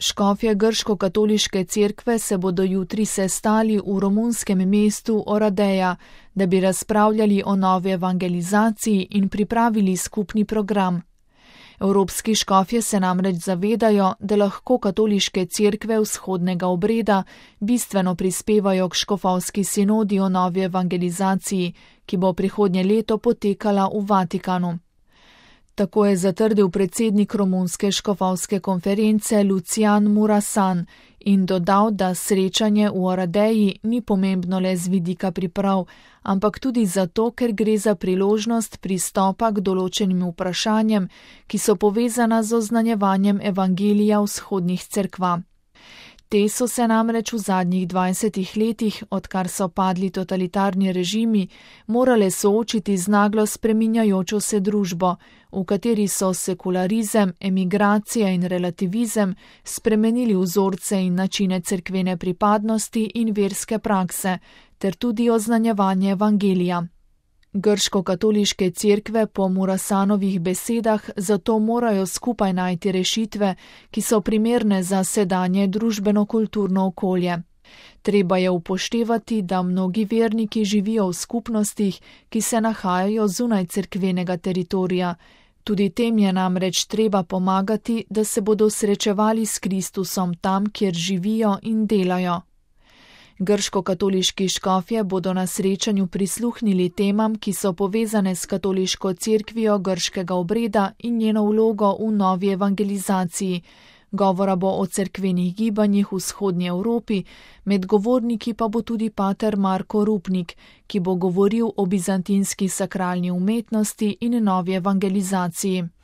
Škofje grško-katoliške cerkve se bodo jutri sestali v romunskem mestu Oradea, da bi razpravljali o novi evangelizaciji in pripravili skupni program. Evropski škofje se namreč zavedajo, da lahko katoliške cerkve vzhodnega obreda bistveno prispevajo k škofovski sinodi o novi evangelizaciji, ki bo prihodnje leto potekala v Vatikanu. Tako je zatrdil predsednik romunske škofovske konference Lucian Murasan in dodal, da srečanje v Oradeji ni pomembno le z vidika priprav, ampak tudi zato, ker gre za priložnost pristopa k določenim vprašanjem, ki so povezana z oznanjevanjem evangelija vzhodnih cerkva. Te so se namreč v zadnjih 20 letih, odkar so padli totalitarni režimi, morale soočiti z naglo spreminjajočo se družbo, v kateri so sekularizem, emigracija in relativizem spremenili vzorce in načine cerkvene pripadnosti in verske prakse, ter tudi oznanjevanje evangelija. Grško-katoliške cerkve po Murasanovih besedah zato morajo skupaj najti rešitve, ki so primerne za sedanje družbeno-kulturno okolje. Treba je upoštevati, da mnogi verniki živijo v skupnostih, ki se nahajajo zunaj cerkvenega teritorija. Tudi tem je namreč treba pomagati, da se bodo srečevali s Kristusom tam, kjer živijo in delajo. Grško-katoliški škofje bodo na srečanju prisluhnili temam, ki so povezane s katoliško cerkvijo grškega obreda in njeno vlogo v novi evangelizaciji. Govora bo o cerkvenih gibanjih v vzhodnji Evropi, med govorniki pa bo tudi pater Marko Rupnik, ki bo govoril o bizantinski sakralni umetnosti in novi evangelizaciji.